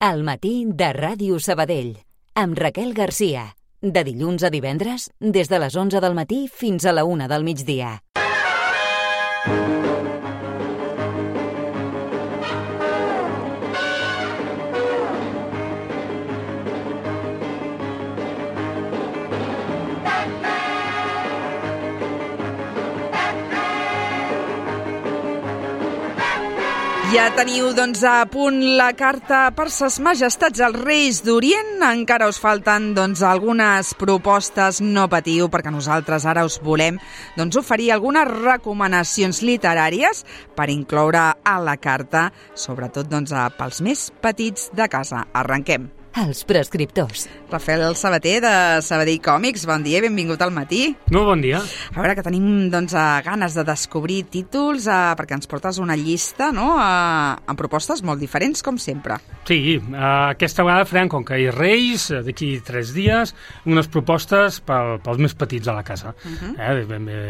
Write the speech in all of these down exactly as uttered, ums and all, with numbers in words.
Al matí de Ràdio Sabadell, amb Raquel Garcia. De dilluns a divendres, des de les onze del matí fins a la una del migdia. Ja teniu, doncs, a punt la carta per ses majestats als Reis d'Orient. Encara us falten, doncs, algunes propostes. No patiu, perquè nosaltres ara us volem, doncs, oferir algunes recomanacions literàries per incloure a la carta, sobretot, doncs, pels més petits de casa. Arrenquem. Els prescriptors. Rafael Sabater, de Sabadell Còmics, bon dia, benvingut al matí. Molt bon dia. A veure, que tenim, doncs, ganes de descobrir títols, eh, perquè ens portes una llista, no?, eh, amb propostes molt diferents, com sempre. Sí, eh, aquesta vegada farem, com que hi ha Reis, d'aquí tres dies, unes propostes pel, pels més petits a la casa. Uh-huh. eh, ben bé,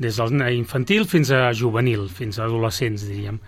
des del infantil fins a juvenil, fins a adolescents, diríem.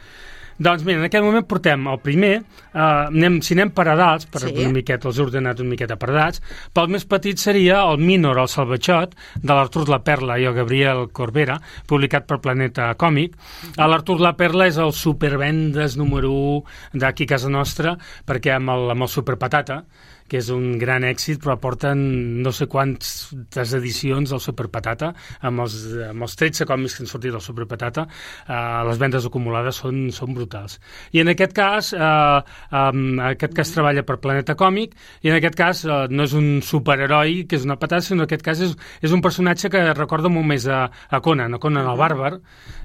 Doncs mira, en aquest moment portem el primer, eh, anem, si anem per edats, per sí. una miqueta, els he ordenat una miqueta per edats, pel més petit seria el Mínor, el Salvatxot, de l'Artur la Perla i el Gabriel Corbera, publicat per Planeta Còmic. Uh-huh. L'Artur la Perla és el supervendes número u d'aquí a casa nostra, perquè amb el, amb el Superpatata, que és un gran èxit, però porten no sé quantes edicions del Superpatata, amb els, amb els tretze còmics que han sortit del Superpatata, eh, les vendes acumulades són, són brutals. I en aquest cas, eh, eh, aquest cas treballa per Planeta Còmic, i en aquest cas eh, no és un superheroi, que és una patata, sinó en aquest cas és, és un personatge que recorda molt més a, a Conan, a Conan el Bàrbar,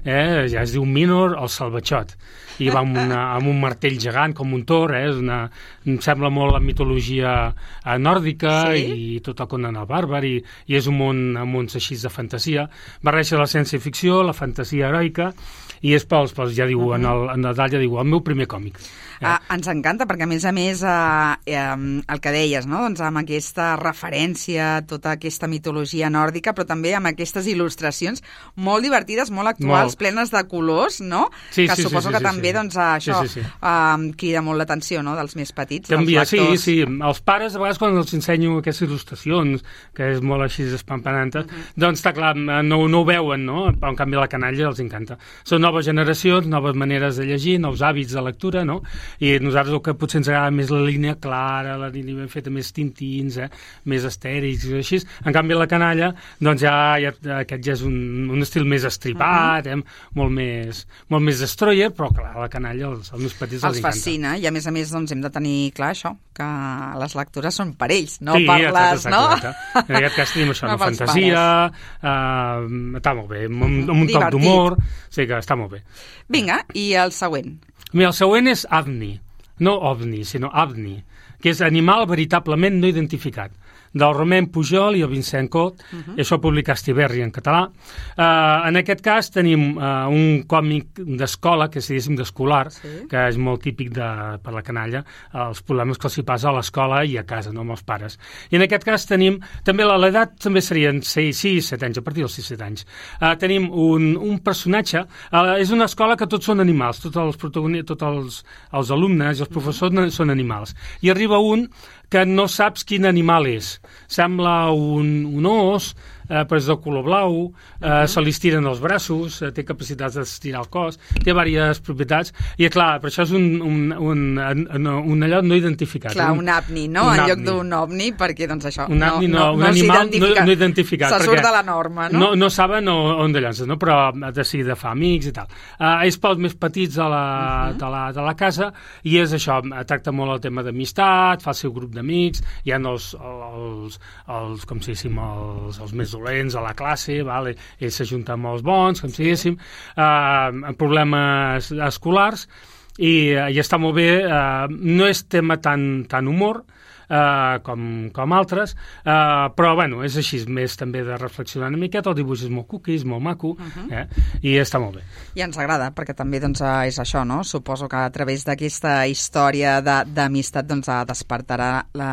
eh, ja es diu Mínor, el Salvatxot, i va amb, una, amb un martell gegant, com un tor, eh, és una, em sembla molt la mitologia nòrdica, sí? I tot el Conan el Bàrbar, i, i és un món, un món així de fantasia. Barreja la ciència-ficció, la fantasia heroica, i és pels, pels ja diu, uh-huh. en, el, en Nadal ja diu, el meu primer còmic. Eh. Ah, ens encanta, perquè a més a més eh, eh, el que deies, no?, doncs amb aquesta referència, tota aquesta mitologia nòrdica, però també amb aquestes il·lustracions molt divertides, molt actuals, molt. plenes de colors, no?, sí, que sí, suposo sí, sí, que sí, també sí. doncs, això sí, sí, sí. Eh, crida molt l'atenció, no?, dels més petits, Canvia, dels lectors. Sí, sí, els pares a vegades quan els ensenyo aquestes il·lustracions, que és molt així espampanantes, uh-huh. doncs està clar, no, no ho veuen, no?, però en canvi la canalla els encanta. Són noves generacions, noves maneres de llegir, nous hàbits de lectura, no?, i nosaltres el que potser ens agrada més la línia clara, la línia ben feta, més tintins, eh? més estèrics i així. En canvi la canalla, doncs ja, ja aquest ja és un, un estil més estripat, uh-huh. eh? molt, més, molt més destroyer, però clar, la canalla els, els més petits els, els encanta. Els fascina, i a més a més doncs, hem de tenir clar això, que les lectures són per ells, no sí, per les, exacte, no? Exacte. En aquest cas tenim això, no, no fantasia, uh, està molt bé, amb, amb un toc d'humor, sí que està molt bé. Vinga, i el següent? Mira, el següent és Avni. No ovni, sinó Avni, que és animal veritablement no identificat, del Romain Pujol i el Vincent Cot, uh-huh. i això publica Estiberri en català. Uh, en aquest cas tenim uh, un còmic d'escola, que és, diguéssim, d'escolar, sí. que és molt típic de, per la canalla, uh, els problemes que els hi passa a l'escola i a casa, no amb els pares. I en aquest cas tenim, també l'edat també serien sis, set anys, a partir dels sis, set anys. Uh, tenim un, un personatge, uh, és una escola que tots són animals, tots els protagonistes, tots els, els alumnes i els professors uh-huh. són animals. I arriba un que no saps quin animal és. Sembla un, un os, eh, però és de color blau, eh, uh-huh. se li estiren els braços, eh, té capacitats d'estirar el cos, té diverses propietats, i clar, per això és un, un, un, un, un allò no identificat. Clar, un, un avni, no?, en lloc d'un ovni, perquè doncs això, un avni, no, no, un no, animal no, no identificat. Se surt de la norma, no? No, no saben on de llances, no? Però de seguida fa amics i tal. Uh, és pels més petits de la, uh-huh. de, la, de la casa, i és això, tracta molt el tema d'amistat, fa el seu grup d'amics, hi ha els, els, els com si diguéssim, els, els més dolents a la classe, vale? Ells s'ajunten amb els bons, com si diguéssim, eh, problemes escolars, i, i està molt bé, eh, no és tema tan, tan humor, Uh, com, com altres, uh, però bueno, és així, més també de reflexionar una miqueta, el dibuix és molt cuqui, és molt maco, uh-huh. eh? I està molt bé. I ens agrada, perquè també doncs, és això, no? Suposo que a través d'aquesta història d'amistat doncs, despertarà la...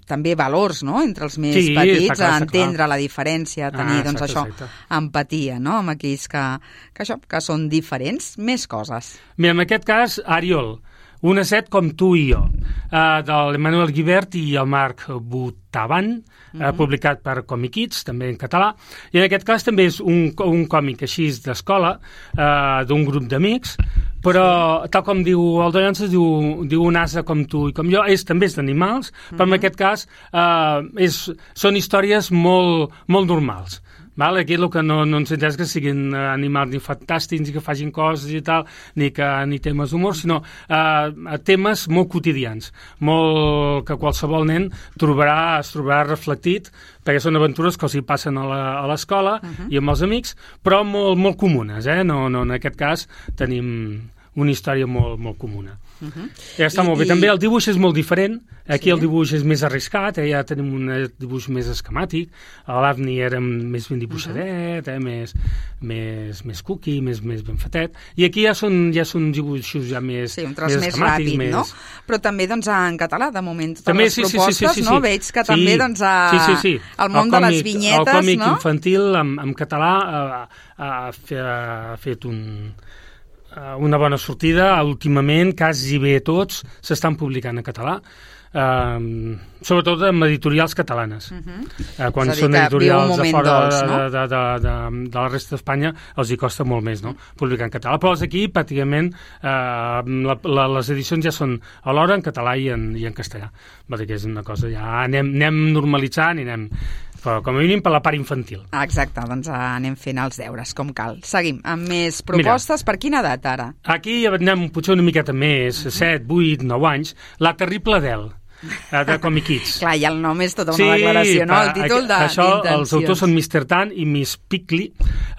també valors, no?, entre els més sí, petits, clar, a entendre clar. La diferència, a tenir ah, doncs, exacte, això, exacte. Empatia, no?, amb aquells que, que, això, que són diferents, més coses. Mira, en aquest cas, Ariol, Una set com tu i jo, uh, de l'Emmanuel Guibert i el Marc Botavan, uh, uh-huh. publicat per Comic Kids, també en català, i en aquest cas també és un, un còmic així d'escola, uh, d'un grup d'amics, però tal com diu el Dollances, diu, diu un ase com tu i com jo, és, també és d'animals, uh-huh. però en aquest cas uh, és, són històries molt, molt normals. Val? Aquí el que no, no ens interessa que siguin animals ni fantàstics, ni que facin coses i tal, ni, que, ni temes d'humor, sinó eh, temes molt quotidians, molt que qualsevol nen trobarà, es trobarà reflectit, perquè són aventures que els hi passen a l'escola uh-huh. i amb els amics, però molt, molt comunes, eh? No, no, en aquest cas tenim una història molt, molt comuna. Uh-huh. Ja està I, molt bé. I... També el dibuix és molt diferent. Aquí sí. el dibuix és més arriscat, eh? Ja tenim un dibuix més esquemàtic. A l'Avni era més ben dibuixadet, uh-huh. eh? més, més, més cookie, més, més ben fetet. I aquí ja són, ja són dibuixos ja més, sí, un tros més, més ràpid, més... no? Però també doncs, en català, de moment, totes també, les sí, propostes, sí, sí, sí, sí, no? sí. Veig que sí. també doncs, a... sí, sí, sí. el món el còmic, de les vinyetes, el còmic no? infantil en, en català ha, ha fet un... una bona sortida. Últimament, quasi bé tots s'estan publicant en català, uh, sobretot amb editorials catalanes. Uh-huh. uh, quan són editorials de fora dolç, no? de, de, de, de, de la resta d'Espanya els hi costa molt més, no? publicar en català. Però aquí, pràcticament, uh, la, la, les edicions ja són a l'hora en català i en, i en castellà. Va dir que és una cosa, ja anem, anem normalitzant i anem... però com a mínim per la part infantil. Exacte, doncs anem fent els deures, com cal. Seguim, amb més propostes. Mira, per quina edat, ara? Aquí anem potser una miqueta més, uh-huh. set, vuit, nou anys, La terrible Adele, de Comic Kids. Clar, ja el nom és tota una sí, declaració, no? El títol de, això, d'intencions. Els autors són mister Tan i Miss Pickley.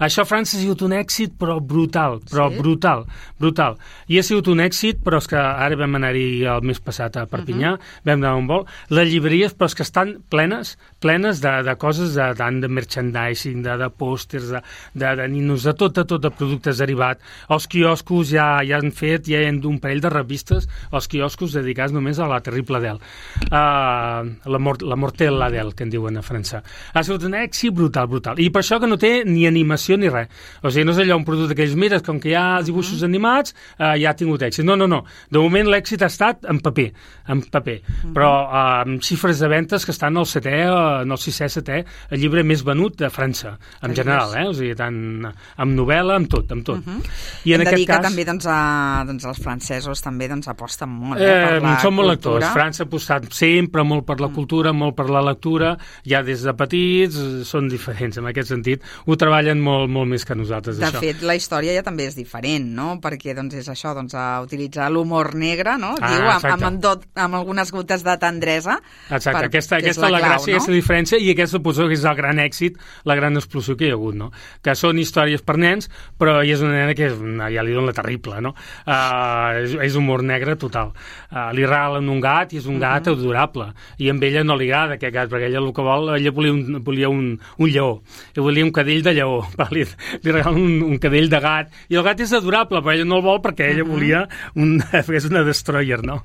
Això a França ha sigut un èxit, però brutal, però sí? brutal, brutal. I ha sigut un èxit, però és que ara vam anar-hi el mes passat a Perpinyà, uh-huh. vam anar a un vol, les llibreries, però és que estan plenes, plenes de, de coses, de, de, de merchandising, de, de pòsters, de, de, de ninos, de tot, de tot, de productes derivats. Els quioscos ja, ja han fet, ja hi ha un parell de revistes, els quioscos dedicats només a La terrible Adele. Uh, la, mort, la Mortel Adele, que en diuen a França. Ha sigut un èxit brutal, brutal. I per això que no té ni animació ni res. O sigui, no és allò un producte que ells mires, com que hi ha dibuixos uh-huh. animats, uh, ja ha tingut èxit. No, no, no. De moment l'èxit ha estat en paper, en paper. Uh-huh. Però uh, amb xifres de ventes que estan al setè, en el sisè, setè, el llibre més venut de França, en uh-huh. general, eh? O sigui, tant amb novel·la, amb tot, amb tot. Uh-huh. I en Hem aquest de dir cas... que també doncs, a, doncs, els francesos també doncs, aposten molt eh, eh, per la són molt cultura. lectors. França ha apostat sempre molt per la cultura, molt per la lectura, ja des de petits són diferents, en aquest sentit ho treballen molt, molt més que nosaltres. De això. fet, la història ja també és diferent, no? Perquè doncs, és això, doncs, a utilitzar l'humor negre, no? Ah, Diu, amb, amb, amb, tot, amb algunes gotes de tendresa. Exacte, per, aquesta, aquesta és la, la clau, gràcia, no? aquesta diferència, i aquesta suposo que és el gran èxit, la gran explosió que hi ha hagut, no? Que són històries per nens, però hi és una nena que és, ja li donen la terrible, no? Uh, és, és humor negre total. Uh, li regalen un gat i és un gat uh-huh. adorable, i amb ella no li agrada aquest gat, perquè ella el que vol, ella volia un, volia un, un lleó, ella volia un cadell de lleó, li, li regalen un, un cadell de gat, i el gat és adorable, però ella no el vol perquè ella uh-huh. volia un, és una destroyer, no?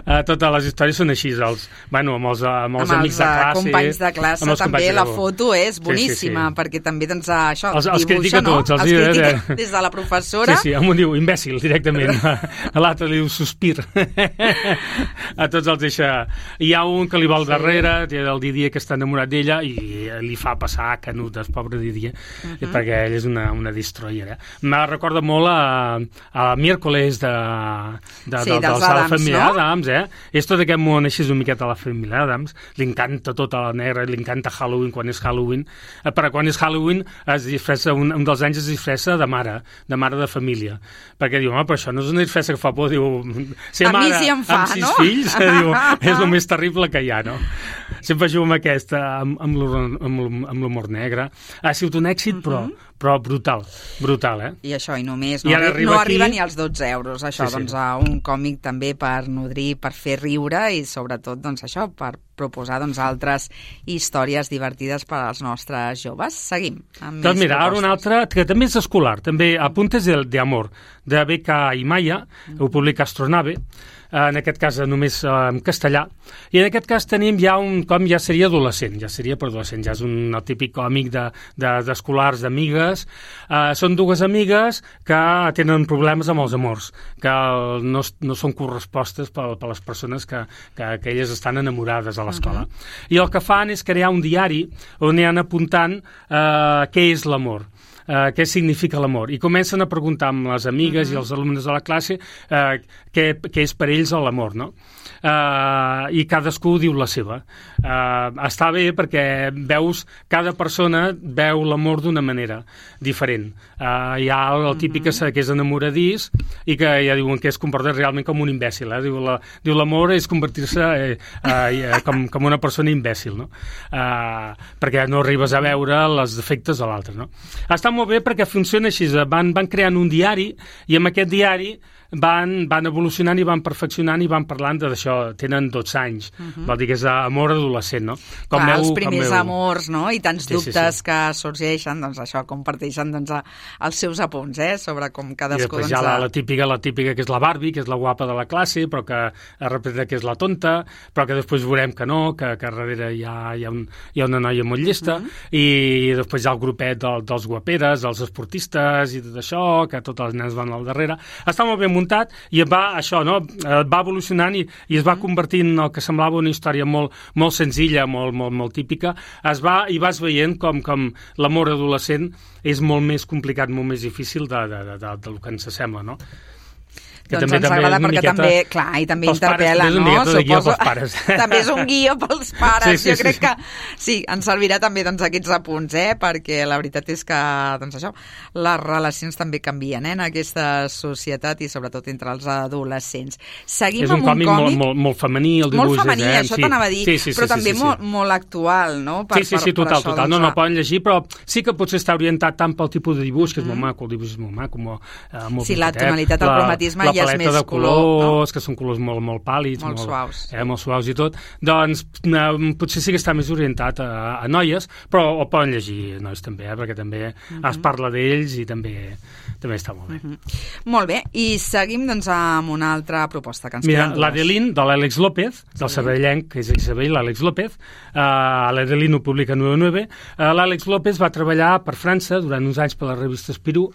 Uh, totes les històries són així, els, bueno, amb els, amb els amb amics els, de classe. companys de classe, també companys la de... foto és boníssima, sí, sí, sí. perquè també, doncs, això, els, els dibuixa, no? Tots, els, els critica eh? des de la professora. Sí, sí, un diu imbècil, directament. A l'altre li diu sospir. A tots els deixa... Hi ha un que li vol sí. darrere, el Didier, que està enamorat d'ella, i li fa passar canutes, pobre Didier, uh-huh. perquè ell és una, una destroyer. Eh? Me recorda molt a, a Miércoles de, de, sí, de, dels de la Adams, família no? Adams, eh? És tot aquest món així una miqueta a la família Adams, li encanta tota la negra, li encanta Halloween quan és Halloween, eh, però quan és Halloween es disfressa, un, un dels anys es disfressa de mare, de mare de família, perquè diu, home, però això no és una disfressa que fa por, diu, ser a mare mi sí em fa, amb sis no? fills, eh, diu, és el més terrible que hi ha, no? Sempre jugo amb aquesta, amb, amb l'humor negre. Ha sigut un èxit, uh-huh. però, però brutal, brutal, eh? I això, i només, no, I arri no aquí... arriba ni als dotze euros, això, sí, sí. doncs, a un còmic també per nodrir, per fer riure i, sobretot, doncs, això, per proposar, doncs, altres històries divertides per als nostres joves. Seguim amb doncs més mira, ara una altra, que també és escolar, també Apuntes de, de Amor, de B K i Maya, uh-huh. ho publica Astronave. en aquest cas només en castellà, i en aquest cas tenim ja un com ja seria adolescent, ja seria per adolescent, ja és un el típic còmic de, de, d'escolars, d'amigues. Uh, són dues amigues que tenen problemes amb els amors, que no, no són correspostes per, per les persones que, que, que elles estan enamorades a l'escola. Uh-huh. I el que fan és crear un diari on hi han apuntant uh, què és l'amor. Uh, què significa l'amor, i comencen a preguntar amb les amigues uh-huh. i els alumnes de la classe uh, què, què és per ells l'amor, no? Uh, i cadascú diu la seva. Uh, està bé perquè veus, cada persona veu l'amor d'una manera diferent. Uh, hi ha el típic uh-huh. que és enamoradís i que ja diuen que es comporta realment com un imbècil. Eh? Diu, la, diu l'amor és convertir-se eh, uh, com, com una persona imbècil, no? Uh, perquè no arribes a veure els defectes de l'altre, no? Està molt bé perquè funciona així, van, van creant un diari i amb aquest diari van, van evolucionant i van perfeccionant i van parlant d'això, tenen dotze anys, uh-huh. vol dir que és amor adolescent, no? Com Clar, meu, els primers com meu... amors, no? I tants sí, dubtes sí, sí. que sorgeixen, doncs això, comparteixen doncs, els seus apunts, eh? Sobre com cadascú... I després doncs, hi ha la, la típica, la típica que és la Barbie, que és la guapa de la classe, però que representa que és la tonta, però que després veurem que no, que, que darrere hi ha, hi, ha un, hi ha una noia molt llesta, uh-huh. i després hi ha el grupet del, dels guaperes, dels esportistes i tot això, que totes les nenes van al darrere. Està molt ben muntat i va, això, no? va evolucionant i, i es va convertint en el que semblava una història molt, molt senzilla, molt, molt, molt típica. Es va, i vas veient com, com l'amor adolescent és molt més complicat, molt més difícil de, de, de, de, del que ens sembla, no? Que doncs també, ens agrada també perquè també, clar, i també interpel·la, pares, no? Suposo... Pares. També és un guió pels pares. Sí, sí, jo crec sí, sí. que sí, ens servirà també doncs, aquests apunts, eh? Perquè la veritat és que doncs, això, les relacions també canvien eh? en aquesta societat i sobretot entre els adolescents. Seguim és un amb un còmic, còmic molt, molt, molt femení, el dibuix. Molt femení, eh? això sí. t'anava a dir, sí, sí, sí, però sí, també sí, sí. Molt, molt actual, no? Per, sí, sí, sí, per, total, per això, total. doncs, No, no poden llegir, però sí que potser està orientat tant pel tipus de dibuix, que és mm. molt maco, el dibuix és molt maco, molt, uh, molt sí, la tonalitat, el cromatisme la, ja és més de color, colors, no? que són colors molt, molt pàl·lids, molt, molt suaus, eh, molt suaus i tot, doncs eh, potser sí que està més orientat a, a noies, però ho poden llegir nois també, eh, perquè també mm-hmm. es parla d'ells i també també està molt bé. Mm-hmm. Molt bé, i seguim doncs amb una altra proposta que ens Mira, queden dues. l'Adelín, de l'Àlex López, del sí. sabadellenc, que és Isabel, l'Àlex López, uh, l'Adelín ho publica en nou nou, uh, l'Àlex López va treballar per França durant uns anys per la revista Spirou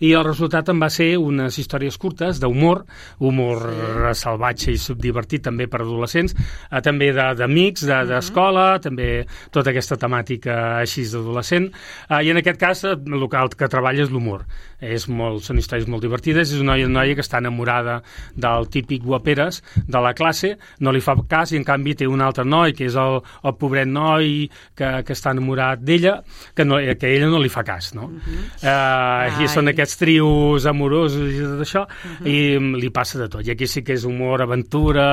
i el resultat en va ser unes històries curtes d'humor, humor sí. salvatge i subdivertit també per adolescents, uh, també d'amics, de, d'escola, uh-huh. també tota aquesta temàtica així d'adolescent, uh, i en aquest cas el que treballa és l'humor. És molt, són històries molt divertides, és una noia, una noia que està enamorada del típic guaperes de la classe, no li fa cas i en canvi té un altre noi que és el, el pobret noi que, que està enamorat d'ella, que, no, que ella no li fa cas, no? Uh-huh. Uh, I són aquests trios amorosos i tot això, uh-huh. i li passa de tot. I aquí sí que és humor, aventura,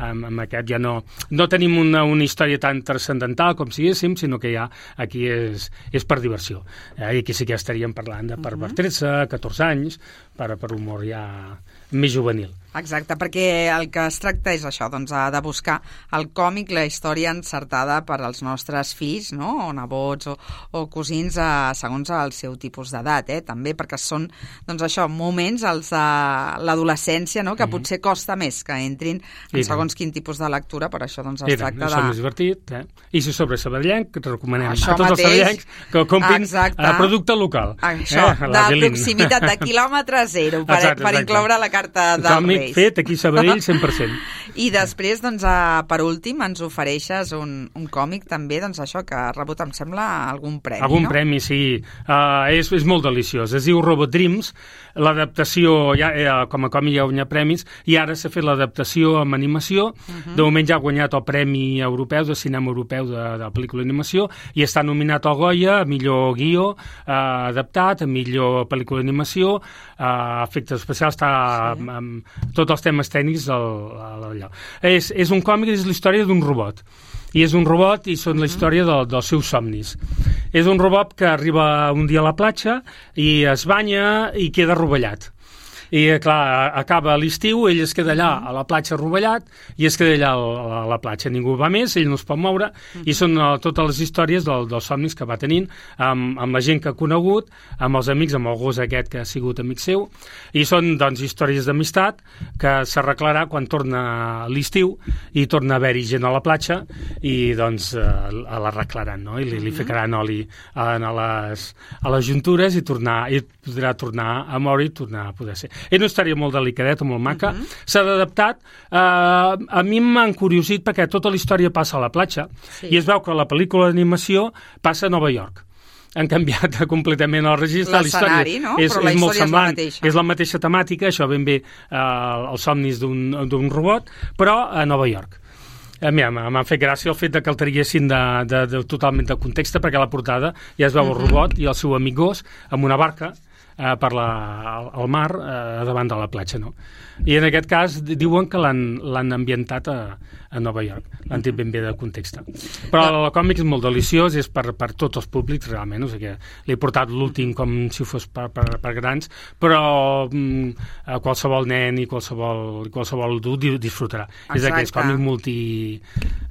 amb, amb aquest ja no... No tenim una, una història tan transcendental com siguéssim, sinó que ja aquí és, és per diversió. Eh? I aquí sí que ja estaríem parlant de per, per tretze, catorze anys, per, per humor ja més juvenil. Exacte, perquè el que es tracta és això, doncs, de buscar el còmic, la història encertada per als nostres fills, no?, o nebots o, o cosins, eh, segons el seu tipus d'edat, eh? També perquè són, doncs això, moments, els de l'adolescència, no?, que mm-hmm. potser costa més que entrin en I segons tant. Quin tipus de lectura, per això doncs es I tracta tant. de... Això és divertit, eh? I si sobre sabadellenc, recomanem això a tots mateix, els sabadellencs que comprin a producte local. Això, eh? de proximitat, de quilòmetre zero, per, exacte, per exacte. incloure la carta del còmic Reis. Fet aquí a Sabadell cent per cent. I després, doncs, a, per últim, ens ofereixes un, un còmic també, doncs això, que ha rebut, em sembla, algun premi, algun no? premi, sí. Uh, és, és molt deliciós. Es diu Robot Dreams. L'adaptació, ja, eh, com a còmic ja ha guanyat premis, i ara s'ha fet l'adaptació amb animació. Uh-huh. De moment ja ha guanyat el Premi Europeu de Cinema Europeu de, de pel·lícula d'animació i està nominat al Goya a millor guió uh, adaptat, a millor pel·lícula d'animació, uh, efectes especials, està sí. amb, amb tots els temes tècnics allò. És, és un còmic, és la història d'un robot. I és un robot i són la història de, dels seus somnis. És un robot que arriba un dia a la platja i es banya i queda rovellat. I, clar, acaba l'estiu, ell es queda allà a la platja rovellat i es queda allà a la platja. Ningú va més, ell no es pot moure, i són totes les històries del, dels somnis que va tenint amb, amb la gent que ha conegut, amb els amics, amb el gos aquest que ha sigut amic seu, i són, doncs, històries d'amistat que s'arreglarà quan torna l'estiu i torna a haver-hi gent a la platja i, doncs, l'arreglaran, no? I li, li ficaran oli a les, a les juntures i, tornar, i podrà tornar a moure i tornar a poder ser. És una història molt delicadeta, molt maca. Uh -huh. S'ha adaptat. Uh, a mi m'ha encuriosit perquè tota la història passa a la platja, sí. I es veu que la pel·lícula d'animació passa a Nova York. Han canviat completament el registre. L'escenari, no? És, Però la és molt història semblant. és la mateixa. És la mateixa temàtica, això ben bé uh, els somnis d'un robot, però a Nova York. A mi m'ha fet gràcia el fet de que el traguessin de, de, de, totalment de context, perquè a la portada ja es veu el robot i el seu amic gos amb una barca eh, per la, al mar eh, davant de la platja, no? I en aquest cas diuen que l'han ambientat a, a Nova York, l'han dit ben bé de context. Però el còmic és molt deliciós, és per, per tots els públics realment, o sigui que l'he portat l'últim com si fos per, per, per grans, però mm, qualsevol nen i qualsevol, qualsevol adult disfrutarà. Exacte. És d'aquest còmic multi,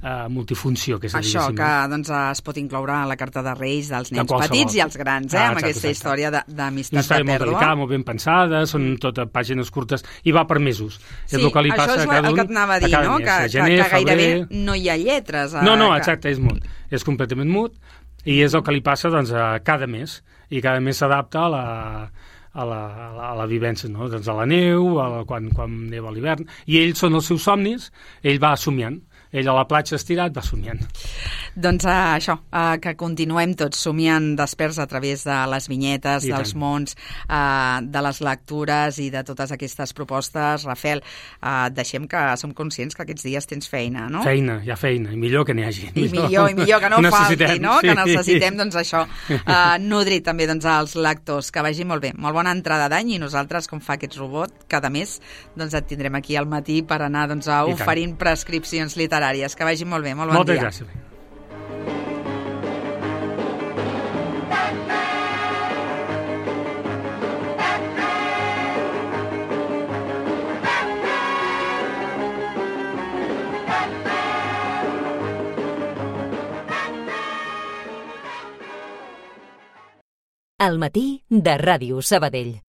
uh, multifunció que és a dir. Això, que doncs, es pot incloure a la carta de Reis dels nens petits i els grans, eh, ah, amb aquesta exacte. Història d'amistat de pèrdua. Molt delicada, molt ben pensada, són mm. totes pàgines curtes i va per mesos. Sí, és el que li passa això és a cada el un, que et anava a dir, no? Que, gener, que gairebé no hi ha lletres. A... No, no, exacte, és mut. És completament mut i és el que li passa doncs, a cada mes. I cada mes s'adapta a la, a la, a la, a la vivència, no? Doncs a la neu, a la, quan, quan neva a l'hivern. I ells són els seus somnis, ell va somiant. Ell a la platja estirat va somiant. Doncs uh, això, uh, que continuem tots somiant desperts a través de les vinyetes, I dels tant. mons, uh, de les lectures i de totes aquestes propostes. Rafael, uh, deixem que som conscients que aquests dies tens feina, no? Feina, hi ha feina, i millor que n'hi hagi. I millor, i millor que no falti, no? Sí. Que necessitem, doncs, això, uh, nodrir també doncs, als lectors. Que vagi molt bé, molt bona entrada d'any, i nosaltres, com fa aquest robot, cada mes doncs, et tindrem aquí al matí per anar doncs, a oferint prescripcions literàries. Que vagi molt bé, molt bon Moltes dia. Moltes gràcies. Al matí de Ràdio Sabadell.